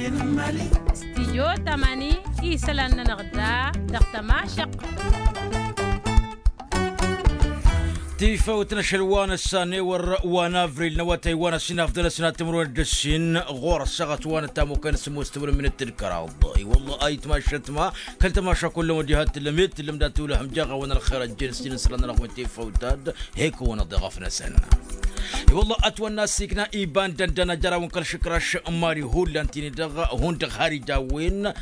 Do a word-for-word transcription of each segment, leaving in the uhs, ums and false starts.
Stijyo tamani isălan-nănăɣ da dăɣ-tămašăq. Tifăwt n-ašăl wa n-ăssan ewăr wa n-avril n-awătay wa n-ăssin afdăl ăssin ad-tǝmrǝwăn d-ăssin ɣur-ăssaɣăt wa n-ătamukăn s-ămoos tǝmrǝwăn d-tǝlkăraḍ. I-wălla a itmašăt ma kăl-tămaša kullăm odi had-tǝllăm i-tǝllăm dat-ulăhăm jaɣ-awăn ălxer ăjjeen s-tinǝslan n-ălɣwen tifăwt ad-hekăwăn ăḍeɣăf-năsăn. I-wălla ătwănna ăssiikna iba n-dăndăn ajărawăn kăl-išǝkraš n-imali hullan tini-dăɣ hundăɣ har ija a-wen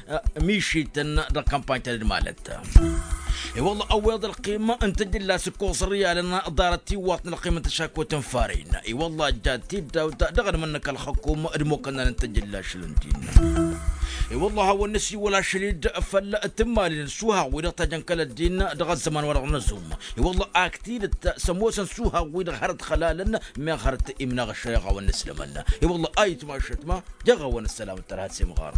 mišităn dăɣ-kampany ta d-malăt. I-wălla ăwweḍ ălqim n-tǝjǝlla s-ǝkkoẓ ărriyalăn ḍarăt tiwwaḍt n-ălqim n-tăšakut n-farin. I-wălla ăjja tiddawt dăɣ-anmănnăk ălxăkum d-imokănnan n-tǝjǝlla ašăl n-din. I-wălla a hawăn-nǝsiwăl ašăl-dd făll-tǝmmalin s-uhaɣ wi-dăɣ tajăn kăl-ăddin dăɣ-ăzzăman-wa-dăɣ n-azum. I-wălla ak tidǝt s-ămoosăn s-uhaɣ wi-dăɣ hărăt xălalăn meɣ hărăt imnaɣ ăššăyăɣ a-wăn-nǝslămăn. I-wălla a itmašăt ma jăɣ-awăn ăssălam d-tărha s-imɣar.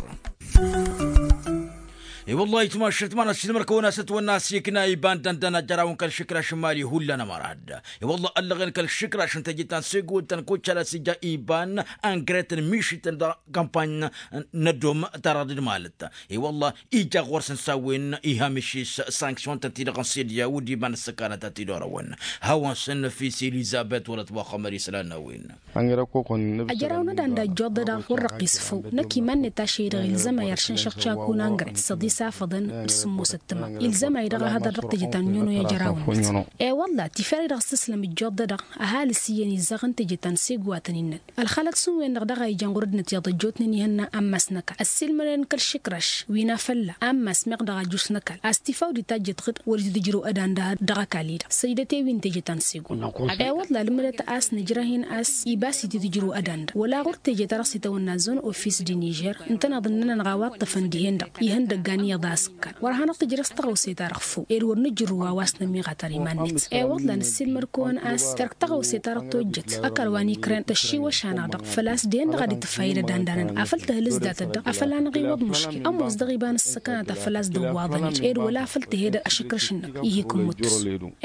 I-wălla a itmašăt ma n-ăssiilmăr-kăwăn a-s ătwănna ăssiikna iba n-dăndăn ajărawăn kăl-išǝkraš n-imali hullan ămărad. I-wălla ăllăɣen kăl-išǝkraš n-teje ta n-sego ta n-kucala s-ija iba n-angret n-mišităn dăɣ-kampany n-ăddom ta dăɣ-dd-malăt. I-wălla ija ɣur-săn s-a-wen iha mišis sanksyon-tăn-ti-dăɣ n-sidya wăr dd-iman ǝssăkanăt ad-t-dd-orăwăn. Hawăn-săn năfis elizabet wăla t-muxămmăd isălan n-a-wen. Ajăraw n-ad-anda ăjjoḍ-dăɣ wăr răqqis făw năkk iman-net ašăl-i-dăɣ ilzăm a iršǝnšăɣ cakun angret s-ad-isafăḍăn d-sǝmmosăt tǝma. Ilzăm a-i-dăɣ a hăḍăr dăɣ-teje ta n-nyono i-ajăraw-net. E-wălla tifăre-dăɣ s-tǝslăm ăjjoḍ-dăɣ ăhalǝs s-iyyăn izzaɣ n-teje ta n-sego a tăn-innăn. Ălxalăt s-ǝnwen-dăɣ daɣ a ijan ɣur-ăddinăt iyyăḍ ăjjootnen ihănna ammas n-ăkall ăssiilmădăn kăl-išǝkraš wi n-afălla ammas meɣ dăɣ-ajus n-ăkall a-s tifaw d-itajjăt ɣǝd wăr dd-tǝjrǝw ădanda dăɣ-ăkall-i-dăɣ săjdăt i-wi n-teje ta n-sego. E-wălla ǝlmǝdăt a-s nǝjrăh-in a-s ibas-i t-tǝjrǝw ădanda wăla ɣur-teje ta dăɣ-s itawănna zone office de nižer ǝntăneḍ ǝnnăn-anăɣ a-wa ǝṭṭăfăn dihen-dăɣ ihăndăggan iyyăḍ a-s ǝkkan wăr hanăɣ-tǝjrăs tăɣawse-ta-dăɣ făw ed wăr nǝjrǝw a-wa s-nămiɣătăr iman-net. E-wălla năssiilmăd-kăwăn a-s terk tăɣawse ta dăɣ-tojjăt ăkall wa n-ikren tăššiwăš-anăɣ-dăɣ făl-a-s dihen-dăɣ a dd-tǝfayăd ădanda-nănăɣ afăl tăhlǝs datăt-dăɣ afăl a năɣ-iwwăḍ muškil ămoos dăɣ-iba n-ǝssăkanăt a făl-a-s dd-ǝwwaḍăn-dd ed wăla afăl tǝhed ašǝkrăš-năk. Ih'-ik ǝmmut.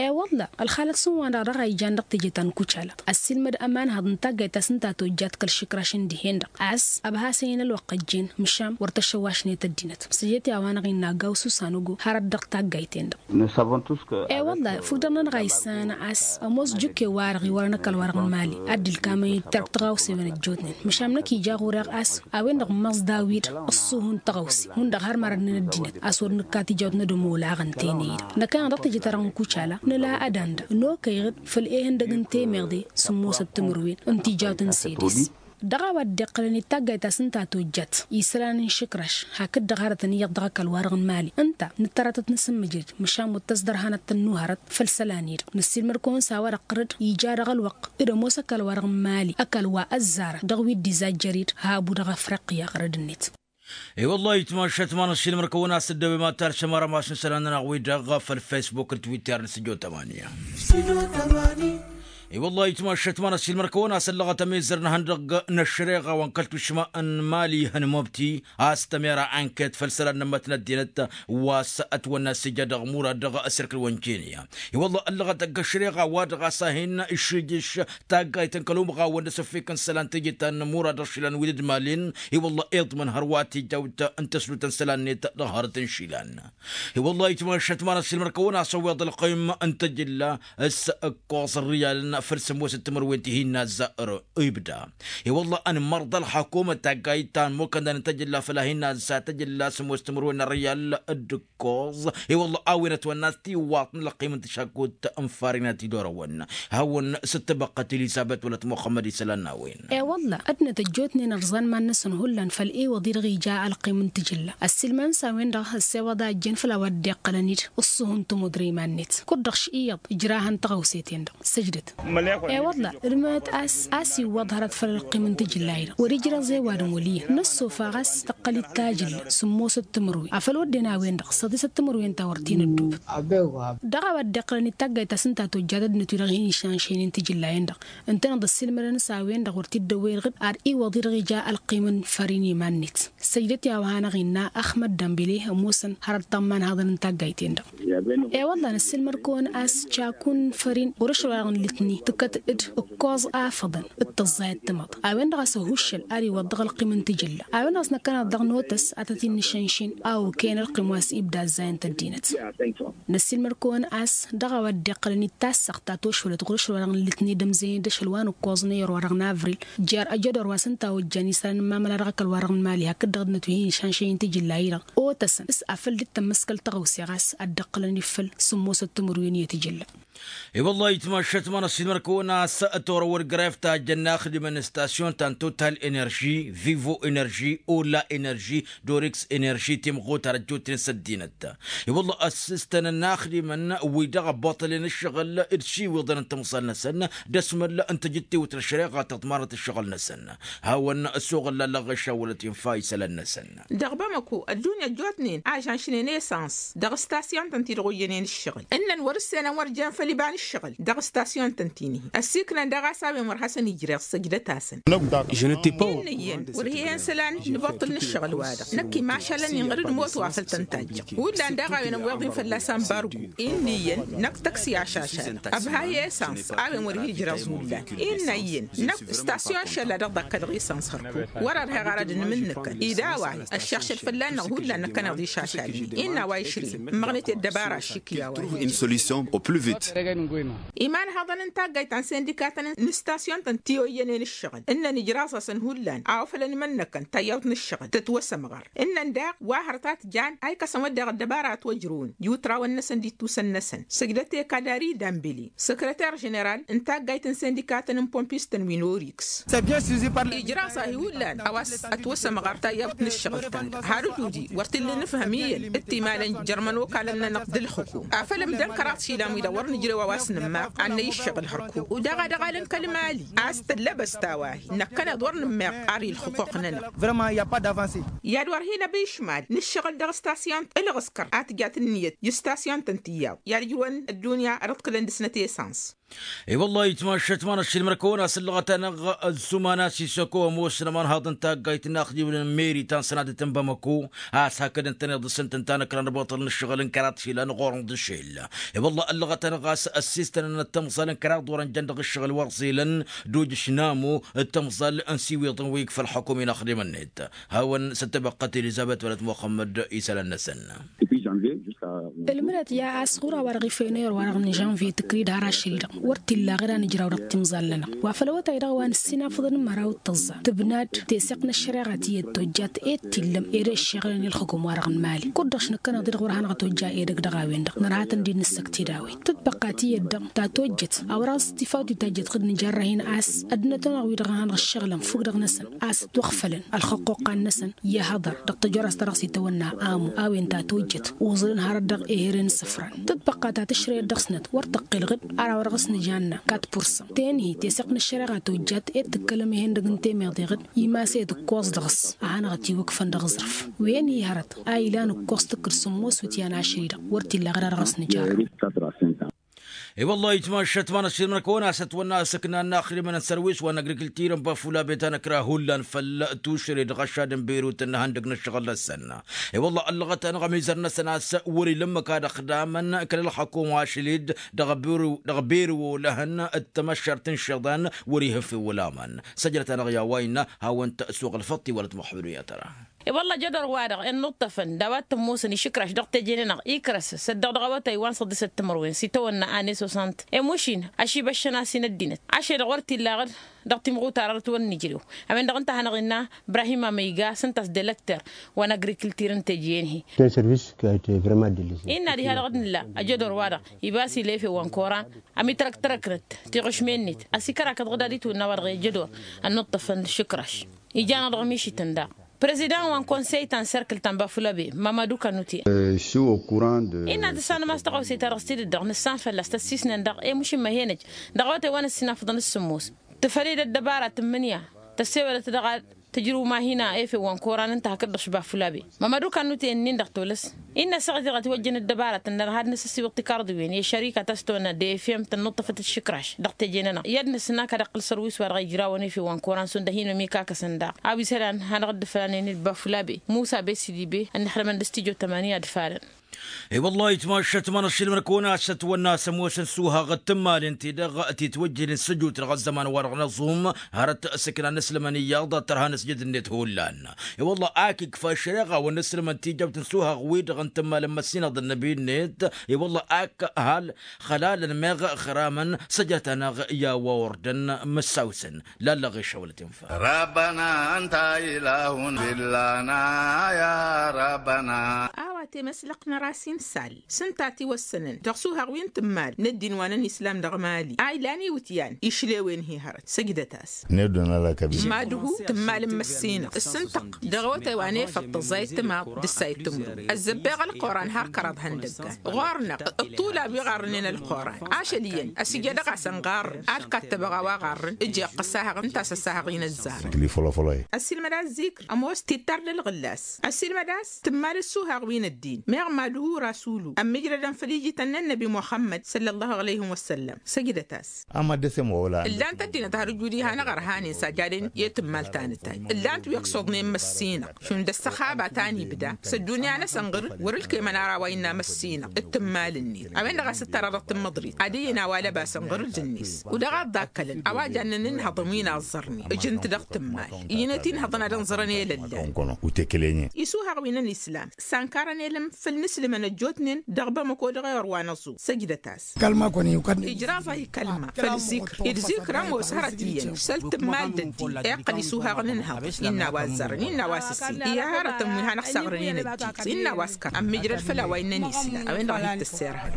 E-wălla ălxalăt s-ǝnwa-dăɣ dăɣ-a ijan dăɣ-teje ta n-kucalăt ăssiilmăd ămanhăḍ n-taggayt ta s-ǝnta tojjat kăl-išǝkraš n-dihen-dăɣ a-s ăbhasăyăn ălwăqq ăjjeen măšan wăr tăšăwašnet ăddinăt săjdăt i-a-wa-năɣ innă aggaw s-usanugo hărăt dăɣ-taggayt-en-dăɣ. E-wălla fukk-dăɣ-nănăɣ a issanăn a-s ămoos jukke-wa-dăɣ iwărăn ăkall-wa-dăɣ n-imali ad-dd-ǝlkamăn-dd terk tăɣawsewen ăjjootnen măšan năkk ija ɣur-e ɣas a-wen-dăɣ ǝmmăẓ daw-dd ăṣṣuhu n-tăɣawse hundăɣ har mărădnen ăddinăt a-s wăr nǝkka tijawt n-ad-ămolăɣăn tene-i-dăɣ năkk-anăɣ dăɣ-teje-ta-dăɣ n-kucala nǝla ădanda n-okăyăɣ-dd făll-ehăndăg n-temeḍe sǝmmosăt timǝrwen n-tijawt n-sedes. Dăɣ-a-wa dd-iqqălăn i-taggayt ta s-ǝnta tojjat isălan n-išǝkraš hakd-dăɣ hărătăn iyyăḍ dăɣ-ăkall-wa-dăɣ n-imali ǝnta nǝttăratăt n-asǝmmǝjrǝd măšan wăr tăsdărhanăt tănnuhărăt făll-isălan-i-dăɣ năssiilmăd-kăwăn s-a-wa-dăɣ tărǝd ija dăɣ-ălwăqq d-ămoos ăkall-wa-dăɣ n-imali ăkall wa ăzzarăn dăɣ-wi dd-izajjăr-dd habu dăɣ-afriqya ɣărăd-net. I-wăllah itmašat ma n-ăssiilmăr-kăwăn a-s dd-ăwem ad-talsăm arămas n-isălan-nănăɣ wi-dăɣ făll-fesbuk d-twitter n-sǝjo tămani. I-wăllah itmašat ma n-ăssiilmăr-kăwăn a-s ăllăɣăt ămizăr n-ihăndăgg n-ăššăreɣa wa n-kăl-tušma n-imali ihăn mobti a-s tămera anket făll-isălan n-ămmăt n-ăddinăt wa s-ătwănna s-ija dăɣ-murad dăɣ-asirkǝl wa n-kenya. I-wăllah ăllăɣăt ăgg-ăššăreɣa wa dăɣ-a-s a hin-išijǝš taggayt n-kăl-umɣawăn d-asǝffik n-isălan teje ta n-murad dăɣ-išilan wi dd-malin. I-wăllah iḍmăn hărwa tijawt n-tăslut n-isălan-net dăɣ-hărăt n-išilan. I-wăllah itmašat ma n-ăssiilmăr-kăwăn a-s ăwweḍ ălqim n-tăjǝlla s-ǝkkoẓ ărriyalăn făll-sămoosăt timǝrwen ti hin-nazzar ibda. I-wăllah ănmărḍa ălxakum d-taggayt ta n-imokăndan n-tăjǝlla făll-a hin-nazza tăjǝlla sămoosăt timǝrwen n-ărriyal d-ǝkkoẓ. I-wăllah a-wen ătwănna a-s tiwwaḍt n-ălqim n-tăšakut n-farina ti dd-orăwăn hawăn-s ăttăbăqqăt elizăbet wăla t-muxămmăd isălan n-a-wen. E-wălla ăddinăt ăjjootnen ărẓan iman-năsăn hullan făll-iwăḍ-i-dăɣ ija ălqim n-tǝjǝlla ăssiilmăn s-a-wen-dăɣ ăssewăḍ a ăjjeen făll-a-wa dd-iqqălăn-dd ǝṣṣuhu n-tămudre iman-net kud-dăɣ š-iyyăḍ ǝjrahăn tăɣawse-ten-dăɣ. Săjdăt. E-wălla ǝlmǝnăt a-s a-s iwwăḍ hărăt făll-ălqim n-tǝjǝlla-i-dăɣ wăr-ijrăẓ i-ăwadǝm wăl' iyyăn năssofa ɣas tăqqăl-dd tajǝlla sǝmmosăt timǝrwen afăl wădden a-wen-dăɣ săḍisăt timǝrwen ta wăr t-in-ăddubǝt. Dăɣ-a-wa dd-iqqălăn i-taggayt ta s-ǝnta tojjat ăddinăt-wi-dăɣ hin-išănšăynen tǝjǝlla-en-dăɣ ǝntăneḍ ăssiilmădăn s-a-wen-dăɣ wăr t-dd-ăwwey dăɣ-dd ar iwwăḍ-i-dăɣ ija ălqim n-făr-in iman-net. Săjdăt i-a-wa hanăɣ-innă axmăt dambile ămoosăn hărăt tămmanhaḍăn n-taggayt-en-dăɣ. E-wălla năssiilmăd-kăwăn a-s caku n-făr-in ɣur-ašăl wa dăɣ-nǝlǝtni. tǝkkăt-dd ǝkkoẓ afăḍăn d-tăẓẓayăt timăḍ a-wen-dăɣ a-s ăhuššăl ad-iwăḍḍăɣ ălqim n-tijǝlla. A-wen-dăɣ a-s năkkăneḍ dăɣ-notăs ad-tăt-in-nǝšănšin a okăyăn ălqim wa s-ibda ăzzayăn tăddinăt. Năssiilmăr-kăwăn a-s dăɣ-a-wa dd-iqqălăn d-tassăɣt ta tošwălăt ɣur-ašăl wa dăɣ-nǝllǝtned ămzăyăn d-ašăl wa n-ǝkkoẓ n-eyăr wa dăɣ-navril jer-ajădor wa s-ǝnta a ojjan isălan n-imamăla dăɣ-ăkall wa dăɣ-nǝmali hakd-dăɣ dd-nătuhin išanšăy n-tijǝlla-i-dăɣ. Otăsăn s-afăl dd-tămmăskăl tăɣawse ɣas ad-dd-ǝqqǝlăn ifăl sǝmmosăt timǝrwen i-tijǝlla. E-wălla-hi tmašat ma n-ăssiilmăr-kăwăn a-s torăwăd gref tajjăn inaxdimăn n-stasyon ta n-total enerži, vivo enerži, ola enerži, dorex enerži timɣutar ăjjootnen s-ăddinăt. E-wălla ăssistăn inaxdimăn wi-dăɣ ăbboṭălnen ǝššăɣǝl d-išiwiḍăn n-timẓal-năsăn d-asmăl n-tajǝttewt n-ăššăreɣa ta tăḍmanăt ǝššăɣǝl-năsăn. Hawăn-ăssoɣ ăllallăɣ ɣăššawălăt infa isălan-năsăn. Dăɣ-bamăko ăddunya ăjjootnen ažănšnen esans dăɣ-stasyon-tăn-ti-dăɣ oyyănen ǝššăɣǝl ǝnnăn wăr-ǝssenăn wăr jen făll-iba n-ǝššăɣǝl dăɣ-stasyon-tăn-ti-nihi. Ăssiiknăn daɣ a-s a-wen wăr hasăn-ijreɣ săjdăt-asăn. Innă iyyăn wăr hi-hen isălan n-ibuṭṭǝl n-ǝššăɣǝl-wa-dăɣ năkk imašalăn inɣăr d-imoot wa făl tăn-tajjăɣ hullan daɣ a-wen ăwweḍ-in fălla-s ambargu. Innă iyyăn năkk tăkks i-ašašal ăbha hi-esans a-wen wăr hi-ijreẓ hullan. Innă iyyăn năkk stasyon šălla dăɣ-dd-akkălăɣ esans hărkuk wăr-ărheɣ ara d-inmǝnnǝkăn ed a-wa-hi ăššašăl fălla-năɣ hullan năkkăneḍ išašal-in. Innă a-wa išrǝyăn ǝmmăɣnet i-ăddăbara aššǝk i-a-wa-hi. Iman hăḍăn n-taggayt ta n-sindikatăn n-stasyon-tăn ti oyyănen ǝššăɣǝl ǝnnăn ijraẓ-asăn hullan a ofălăn imănnăkăn tayyawt n-ǝššăɣǝl tătwăsămɣăr. Ǝnnăn daɣ wa hărăt a t-jan a ikăsăn wădden ăddăbara a ătwăjrăwăn i-utrawăn-năsăn d-ittusăn-năsăn săjdăt i-kadari dambili săkrăter ženeral n-taggayt n-sindikatăn n-pompistăn wi n-oriks. Ijraẓ-ahi hullan a-wa s-ătwăsămɣăr tayyawt n-ǝššăɣǝl-ta-dăɣ had-ătwǝdi wăr t-illa inǝfhăm iyyăn d-timalăn jărmăn okalăn-nănăɣ d-ǝlxǝkum afăl ǝmdăn kăraḍ išilan wi-dăɣ wăr nǝjrew a-wa s-nǝmmaɣ ad-năy ǝššăɣǝl hărkuk. Dăɣ-a dăɣ-alăn kăl-mali a-s tăllăbăst a-wa-hi năkkăneḍ wăr nǝmmeɣ ar i-ǝlxǝquq-nănăɣ. Vrămăn i-a pas d-avanse. I-ad-wăr hin-ăbăy išmal n-ǝššăɣǝl dăɣ-stasyon ǝlɣǝskăr a tǝjat ǝnniyăt i-stasyon-tăn tiyyaḍ i-ad-ǝjrǝwăn ăddunya ad-ǝḍkǝlăn dăɣ-snăt esans. I-wăllah itmašat ma n-ašilmăr-kăwăn a-s ǝllăɣăt-anăɣ ăzzuma n-asisăko ămoosnămăn haḍăn taggayt n-inaxdimăn n-meri ta n-sănadăt n-bamăko a-s hakd ǝntăneḍ dăɣ-săn tǝnta n-ǝkran ăboṭăl n-ǝššăɣǝl n-kăraḍ išilan ɣur-năɣ d-ašel. I-wăllah ǝllăɣăt-anăɣ a-s ăssistănăn ăttămẓal n-kăraḍ wărăn jăn dăɣ-ǝššăɣǝl wăr ẓilăn d-ujǝš n-amo d-tămẓal n-siwiḍăn wi ikfa ălxukum inaxdimăn-net. Hawăn-săttăbăqqăt elizăbet wăla t-muxămmăd isălan-năsăn. Ǝlmǝdăt ya a-s ɣur-a-wa-dăɣ ifăyăn ayăr-wa-dăɣ n-žănvye tǝkrid har ašăl-i-dăɣ wăr t-illa ɣǝr a nǝjraw dăɣ-timẓal-nănăɣ wa făl awătay-dăɣ wa nǝssin afǝḍăn n-măraw d-tăẓẓa tǝbnad teseɣt n-ăššăreɣa tiyyăt tojjat ed t-illăm ed ăššeɣǝlăn i-ălxǝkum-wa-dăɣ n-mali. Kud-dăɣ š-nǝkkăneḍ-i-dăɣ wăr hanăɣ-tojja edăgg dăɣ-a-wen-dăɣ nărha-tăn dd-nǝssăkt-dd a-wen tǝtbăqqa tiyyăt dăɣ-ta tojjăt a wăr ăẓẓăt ifawt itajjăt ɣǝd nǝjarrăh-in a-s ăddinăt-wa-dăɣ wi-dăɣ hanăɣ-ǝššăɣǝlăn făw-dăɣ-năsăn a-s ătwăɣfălăn ălxăqqoqqa-năsăn i-ahăḍăr dăɣ-tăjorăst ta dăɣ-s itawănna amu a-wen ta tojjăt uẓǝlăn hărăt dăɣ-ehere n-isǝfran. Tǝtbăqqa ta tǝšrăyăt dăɣ-snăt wăr tăqqel ɣǝd ar a-wa dăɣ-s nǝjanna kat pursa. Ten-hi teseɣt n-ăššăreɣa tojjat ed tǝkkălăm ehen-dăgg n-temeḍe ɣǝd imas-e d-ǝkkoẓ dăɣ-s a hanăɣ-ătiwǝkfăn dăɣ-aẓrǝf. Wen-hi hărăt a ilan ǝkkoẓ tǝkkǝd sǝmmos wǝtyan ašăl-i-dăɣ wăr t-illa ɣǝd a dăɣ-s nǝjarrăw. I-wăllah itmašat ma n-ăššilmăr-kăwăn a-s ăknan n-axdimăn n-sărwis wa n-agrikiltir n-bafula bet a nǝkra hullan făll-tušre dăɣ-ašad n-berut n-ihăndăg n-ǝššăɣǝl-năsăn. I-wăllah ăllăɣăt-anăɣ ămizăr-năsăn a-s wăr-ila ǝmmǝk ad-ăxdamăn kăl-ălxăkum ašăl-dd dăɣ-beriw olăhăn d-tamăššart n-išiḍan wăr-ihǝf i-wăl aman. Săjdăt-anăɣ i-a-wa innă hawăn-t-suɣ ălfăṭṭi wăla t-muḥămmăd wi ad-tăra. I-wălla jădor-wa-dăɣ ănnuṭṭăfăn d-a-wa t-ămoosăn išǝkraš dăɣ-teje-nănăɣ ikrăs săddăɣ dăɣ-awătay wa n-săḍisăt timărwen s-itawănna ane sosant. Emušin ašibăššăn a-s inăddinăt ašăl-i-dăɣ wăr t-illa ɣǝr dăɣ-timɣutar arăt wăr nǝjrew. A-wen-dăɣ ǝnta a hanăɣ-innă ibrahim amăyga s-ǝnta a-s delăkter wa n-agrikiltir n-teje-en-hi. Innă diha-dăɣ d-nǝlla ăjădor-wa-dăɣ iba a-s ila efew wa n-koran ămitrăktărăknăt tiɣǝšme-net a-s ikărakăt ɣǝd ad-itwǝnna wa-dăɣ i-ăjădor ănnuṭṭăfăn išǝkraš. Ijan-aɣ dăɣ-mišităn daɣ. Prezidăn wa n-konsey ta n-serkǝl ta n-bafulabe mamadu kanute. Innă ad-ǝssanăm a-s tăɣawse-ta-dăɣ s-tidǝt-dăɣ nǝssan fălla-s tăssisnen daɣ i-mušǝmmăh i-enăj dăɣ-awătay wa n-ăssinafăḍăn s-sǝmmos tǝfăl-dd ăddăbara tǝmmǝnǝya tăssewădăt dăɣ-ad-tǝjrǝw mahina efew wa n-koran ǝnta hakd-dăɣ šbafulabe. Mamădu kanute ǝnnin-dăɣ tolăs innă ăssaɣ-i-dăɣ a tiwăjjăn ăddăbara tǝnnăn had-năsăssiwǝḍ tikarḍiwen i-ăššărika ta s-tăwănna defem tănnuṭṭăfăt d-išǝkraš dăɣ-teje-nănăɣ i-ad-nǝsǝnna kăd-iqqǝl sărwis wa dăɣ-ijrawăn efew wa n-koran šund ăhinăm ikakkăsăn daɣ a-wa isălan hanăɣ-dd-ǝflanen d-bafulabe musa besidi be ănnixdămăn d-stijo tămaniya d-ifalăn. I-wăllah itmašat ma n-ašilmăn kăwăn-asăt wănna s-ămoosăn suhaɣ d-tǝmmalin-ti-dăɣ titwăjjănen s-ăjut dăɣ-ăzzăman-wa-dăɣ n-aẓum. Hărăt s-ǝknan n-aslămăn iyyăḍ tărha n-asjăd-net hullan. I-wăllah ak ikfa šăreɣa-wăn n-aslămăn tijăbt n-suhaɣ-wi-dăɣ n-tǝmmalăn măssinăɣ d-ănnăbi-net. I-wăllah ak hal xălalăn meɣ ixramăn săjrăt-anăɣ i-a-wa ordăn măssawsăn. Lallăɣ išăwlăt infa. Rabbăna ănta ilahun billana. Ya rabbăna. A-wa temăslăqnăr a-s insal s-ǝnta a tiwăssănăn dăɣ-suhaɣ wi n-tǝmmal n-ăddin wa n-ănislam dăɣ-mali a ilan iwǝtyan išlewen-hi hărăt săjdăt-as. N-e-dd unăla kăbir. Mad-hu tǝmmal n-măssinăɣ s-ǝntăq dăɣ-awătay wa n-efăḍ tăẓẓayăt timaḍ d-ǝssayăt timǝrwen ăzzăbbeɣ ălquran har kăraḍ ihăndăggan ɣur-năɣ. Ăṭṭulab wi ɣarrǝnen ălquran ašăl iyyăn ăsijădăɣ-asăn ɣarrǝn ad-kattăbăɣ a-wa ɣarrǝn. Ǝjeɣ ăssahăɣ ǝnta a-s ăssahăɣ-in ăzzarăn. Sǝkli fălăfălăy. Ăssiilmăd a-s zikr ămoos tittar d-ălɣǝllas. Ăssiilmăd a-s tǝmmal ăssuhaɣ wi n-ăddin meɣ mad-hu rasulu ămmijrădăn făll-ijităn n-ănnăbi muxămmăd săllăllahu alăyhim wăssăllăm. Săjdăt-as. Ama dd-semăwăla. Ǝllan-t ăddinăt har ǝjud ihăn aɣărhanen s-ajadăn i-tǝmmal ta n-tayy ǝllan-t wi ăksuḍnen măssinăɣ šund ăssăxaba ta n-ibda s-ăddunya-năsăn ɣǝr-dd wăr-ǝlkemăn ara a-wa innă măssinăɣ d-tǝmmal-net. A-wen-dăɣ a-s ǝttarăɣ dăɣ-tǝmmăḍrit ad-ǝyyǝn a-wa lăbasăn ɣǝr-dd ǝnnis. Wăr dăɣ-a dd-akkălăn a-wa jannen ǝnhăḍăn wi n-aẓẓărnen ǝjǝn-t dăɣ-tǝmmal. Iyyăn i-tinhăḍăn ad-ănẓărăn elăllan. Isuhaɣ wi n-ănislam s-ankarăn elăm făll-inǝslǝmăn ăjjootnen dăɣ-bamăko dăɣ-ewăr wa n-aẓum. Săjdăt-as. Ijraẓ-ahi kălma făll-zikr. Dd-zikr ămoos hărăt iyyăn săl tǝmmal d-ăddin iqqăl isuhaɣ n-ǝnhăḍ innă a-wa ăzzarăn innă a-wa s-ǝssin. I-hărătăn wi hanăɣ-saɣrănen ăddin innă a-wa s-kăra ămmijrăd făll-a-wa innă n-isla. A-wen-dăɣ a hi-t-ăssirhăd.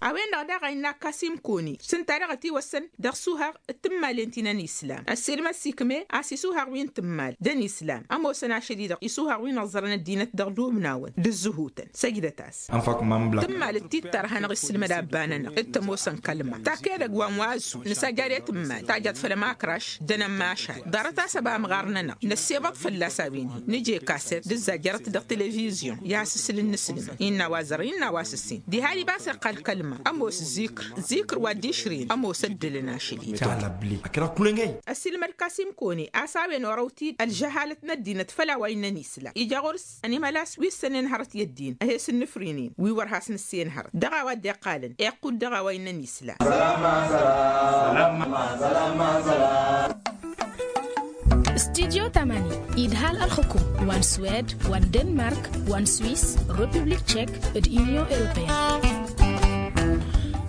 A-wen-dăɣ daɣ a innă kasim koni s-ǝnta daɣ ătiwăssăn dăɣ-isuhaɣ d-tǝmmalen ti n-ănislam ăssiilmăd s-ikme a-s isuhaɣ wi n-tǝmmal d-ănislam ămoosăn ašăl-i-dăɣ isuhaɣ wi n-ăẓẓărăn ăddinăt dăɣ-dubnawăn d-ǝzzǝhutăn. Săjdăt-as. Tǝmmal d-tittar a hanăɣ-issǝlmăd abba-nănăɣ d-tămoosăn kălma tak edăgg wa n-wa ăzzu nǝsajjad i-tǝmmal tajjăḍ făll-ămakraš d-anămmašal. Ḍarăt-as ăba-măɣarnănăɣ năssebăḍ fălla-s a-wen-hi nǝje kaset d-ǝzzajjărăt dăɣ-televizyon i-has-ǝsǝl n-inǝslǝmăn innă a-wa ăzzărăn innă a-wa s-ǝssin. Diha-di ăba s-iqqal kălma ămoos zikr. Zikr wa dd-išrǝyăn ămoos ăddǝlăn ašăl-i. Ăsilmăd kasim kone a-s a-wen orăw-t-dd ălžăhalăt n-ăddinăt făll-a-wa innăn isla ija ɣur-s ănimălas wi ǝssănen hărăt i-ăddin a he-sǝnnǝfrǝynen wi wăr has-nǝssen hărăt dăɣ-a-wa dd-iqqalăn iqqud dăɣ-a-wa innăn isla. Studio tamani idhal ălxukum wa n-swed wa n-denmark wa n-swis, republik tšek d-inyon europeyăn.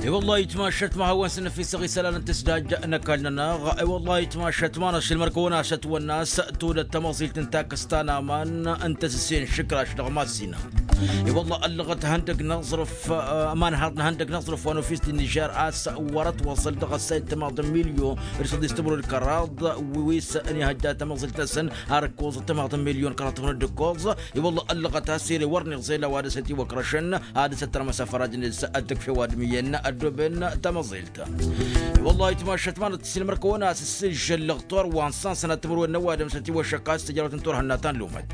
I-wăllah itmašat ma hawăn-săn ăfisăɣ isălan n-tǝsdaj n-ăkall-nănăɣ. I-wăllah itmašat ma n-ašăl mărkăwăn-asăt wănnas todăt tamăẓilt n-takăsta n-aman n-tăsǝssin šǝkraš dăɣ-masinăɣ. I-wăllah ăllăɣăt hăndăg n-aẓrǝf. Ămanhaḍ n-hăndăg n-aẓrǝf wa n-ofis din nižer a-s wăr-ătwăẓăl dăɣ-ăssay d-tămaḍ n-milyon d-săḍis timǝrwen kăraḍ wi s-ănihăjja tamăẓilt-năsăn. Ar ǝkkoẓăt tămaḍ n-milyon kăraḍ tăfnăd d-ǝkkoẓ. I-wălla ăllăɣăt a-s ere wăr niẓel a-wa dăɣ-săn itiwăkrăšăn ad-dăr-s ăttărmăs afăraj-net ad-tǝkf i-ăwadǝm iyyăn ăddooben tamăẓilt. I-wălla itmašăt manăt s-inmăr kăwăn-as ǝssǝžžăl lăɣtor wa n-sănsanăt timǝrwen n-ăwadǝm s-ătiwăššăk a-s tǝjrăwăt n-turhǝnna ta n-lumăt.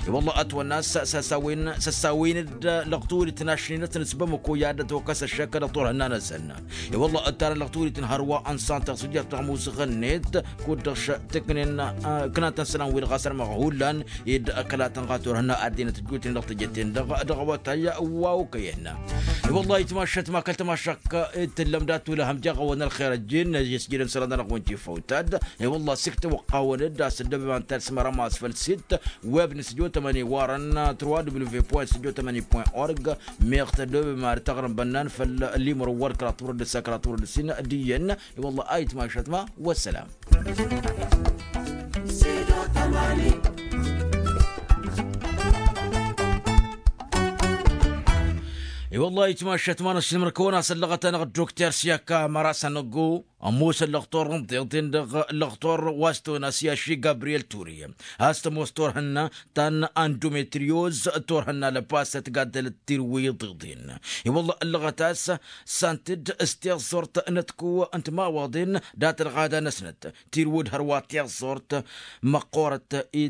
I-wălla ătwănna s-săsawin săsawin-dd lăɣturit n-ašninăt n-s bamăko i-ad-ătwăkăs ăššăk dăɣ-turhǝnna-năsăn. I-wălla ǝttarăn lăɣturit n-hărwa n-santăɣ s-ǝjjat dăɣ-musǝɣăn-net kud-dăɣ tǝknen. Ǝknatăn sălan-wi-dăɣ ɣas ărmăɣ hullan ed ăkăla tănɣa turhǝnna ăddinăt ǝjjutnen dăɣ-tejăten-dăɣ dăɣ-awătay wa okăyăn. I-wălla itmašăt ma kăl-tamašak ed tǝllăm dat-ulăhăm jaɣ-awăn ălxer ăjjeen ăjjeen s-jidăm sălan-dăɣ-wăn jifăwtad. I-wălla s-iktăwăqqawăn-dd a-s ăddăbem ad-talsǝmărăm a-s făll-sit web n-studio tămani warăn trois w point studio tămani point org. Meɣ tăddobem ad-tăɣrǝm bănnan făll-limăr wăr kăraḍ turăd d-ǝssa kăraḍ turăd d-ǝssin d-iyyăn. I-wălla a itmašăt ma wăssălam. I-wălla itmašăt ma n-ăššǝlmăr kăwăn-asăllăɣăt-anăɣ dd-okter s-i-ăkka măra s-anăggo. Ămoosăn lăɣtor n-tiḍen dăɣ-lăɣtor wa s-tăwăn-as i-aši gabriyel ture a-s tămoos turhǝnna ta n-andometriyoz. Turhǝnna lăpasăt gaddălăt tirwǝy tiḍen. I-wălla ăllăɣăt a-s santăd s-tiẓẓurt n-ătku n-timawaḍen dat-ălɣada-năsnăt tirwǝd hărwa tiẓẓurt măqqorăt-i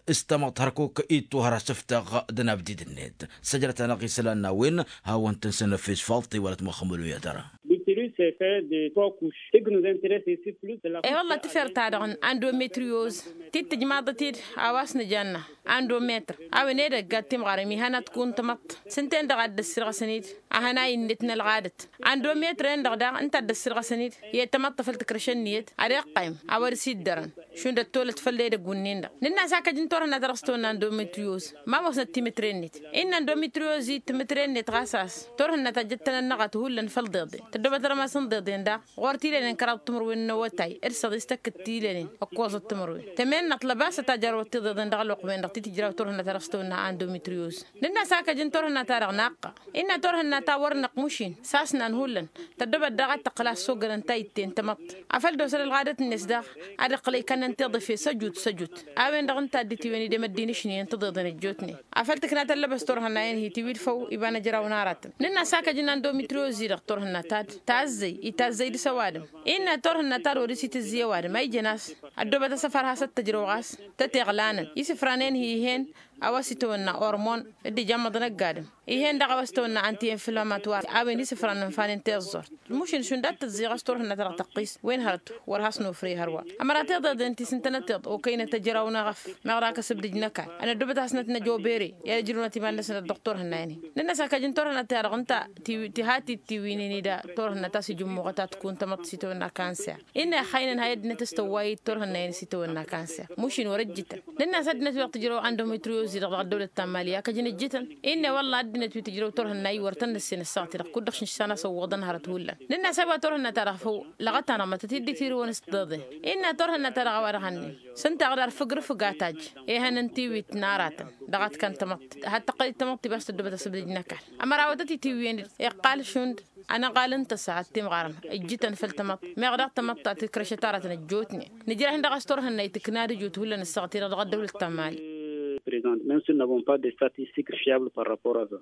s-tamăḍt hărkuk ittuhăr asǝftăɣ d-anabdid-net. Săjrăt-anăɣ isălan n-a-wen hawăn-tăn-săn ăfis falṭi wălăt măxămălu i-ad-tăra. Plus effet de trois couches. Eg nous intéresse ici plus de la. E wălla tǝfer-ta-dăɣ n-andometrios ti t-tǝjmaḍăt-dd a-wa s-nǝjanna andometr a-wen edăgg ad-timɣarem ihăn ad-t-kǝwǝn tamăḍt s-ǝnta-en-dăɣ a dd-ăssirɣăsăn-dd. Ahănay-net n-ălɣadăt andometr-en-dăɣ daɣ ǝnta a dd-ăssirɣăsăn-dd i-tamăḍt a făl tǝkrăšăn ǝnniyăt ad-iqqăym a-wa dăr-s iddărăn šund ăttolăt făll-edăgg wǝnnin-dăɣ. Nǝnn'-as akăj n-turhǝnna ta dăɣ-s tăwănna n-dometrios ma ămoosnăt timǝtre-net. Innă n-dometrios i timǝtre-net ɣas a-s turhǝnna ta jăttănăn năɣat hullan făll-deḍen tăddobăt rămas n-deḍen daɣ ɣur-tilănen kăraḍ timǝrwen n-awătay d-săḍis tăkk d-tilănen ǝkkoẓăt timǝrwen. Tămennăt lăbasăt a jărwăt tiḍeḍen dăɣ-ălwăqq-wen-dăɣ ti tǝjraw turhǝnna ta dăɣ-s tăwănna n-dometrios. Nǝnn'-as akăj n-turhǝnna ta dăɣ-naqqa innă turhǝnna ta wăr năqq mušin s-asnan hullan tăddobăt daɣ ad-tăqqǝl a ăssogănăn ta itte n-tamăḍt. Afăl d-osăl ălɣadăt-net daɣ ad-iqqǝl ikănnăn tiḍǝfe s-ăjut s-ăjut. A-wen-dăɣ ǝnta a dd-itiwăn idem ăddin ǝšnen tiḍeḍen ăjjootnen afăl tǝkna tăllăbăs turhǝnna-en hi-tiwǝd făw iba n-ajraw n-aratăn. Nǝnn'-as akăj n-andometrios-i-dăɣ turhǝnna-ta-dd tazzăy itazzăy dăɣ-s ăwadǝm. Innă turhǝnna-ta-dd wăr-s itǝzzǝy ăwadǝm a ijăn a-s ăddoobăt asăfar has-ăttăjrăw ɣas tăteɣlanen isǝfran-en hi-ih'-en a-wa s-itawănna ormon d-ijămmăḍăn ăgg-adǝm. Ih'-en daɣ a-wa s-tawănna anti-inflămator a-wen isǝfran n-infanen tiẓẓurt. Mušǝn šund ad-tǝẓẓiɣăs turhǝnna ta dăɣ-tăqqis wen hărăt wăr has-nofrey hărwa. Ămăra tiḍeḍen ti s-ǝntănăt tiḍ okăynăt ăjraw n-eɣăf meɣ dăɣ-kăsǝbdǝj n-ăkall ănăddobăt-asnăt n-ejobere i-ad-ǝjrǝwnăt iman-năsăn dăɣ-turhǝnna-en-hi. Nǝnn'-as akăj n-turhǝnna ta dăɣ-ǝnta ti hatid tiwǝynen-dd turhǝnna ta s-ijǝmmuɣăt ad-t-kǝwǝn tamăḍt s-itawănna kanser. Innă ixaynăn hay ăddinăt s-tăwway-dd turhǝnna-en s-itawănna kanser. Mušin wăr-ǝjjǝtăn nǝnn'-as ăddinăt wi-dăɣ tǝjrăw andometrios-i-dăɣ dăɣ-ăddăwlăt ta n-mali akăjăn ǝjjǝtăn. Innă wălla ăddinăt wi tǝjrăw turhǝnna-i wăr tăn-nǝssen ǝssaɣăt-i-dăɣ kud-dăɣ šǝnš s-anasăwwăḍăn hărăt hullan. Nǝnn'-as a-wa turhǝnna-ta-dăɣ făw lăɣăt-anăɣ mătăt-dd itirǝwăn s-tiḍeḍen. Innă turhǝnna-ta-dăɣ a-wa dăɣ-ănnin s-ǝnta a ɣǝdar fǝgrǝfǝg a tajj ehăn n-tiwit n-aratăn. Dăɣ-ad-t-kăn tamăḍt had-tăqqăl-dd tamăḍt ti ba s-tăddobăt asǝbdǝj n-ăkall. Ămăra wa tăt-itiwǝyăn iqqal šund ănăɣal n-tăsa ad-timɣarăn ǝjjǝtăn făll-tamăḍt. Meɣ daɣ tamăḍt ta tǝkrăšăt aratăn ăjjootnen nǝjrăh-in dăɣ-s turhǝnna itǝkna d-ijot hullan ăssaɣăt-i-dăɣ dăɣ-ăddăwlăt ta n-mali. Prezant même si n-avons pas de statistiques fiables par rapport a.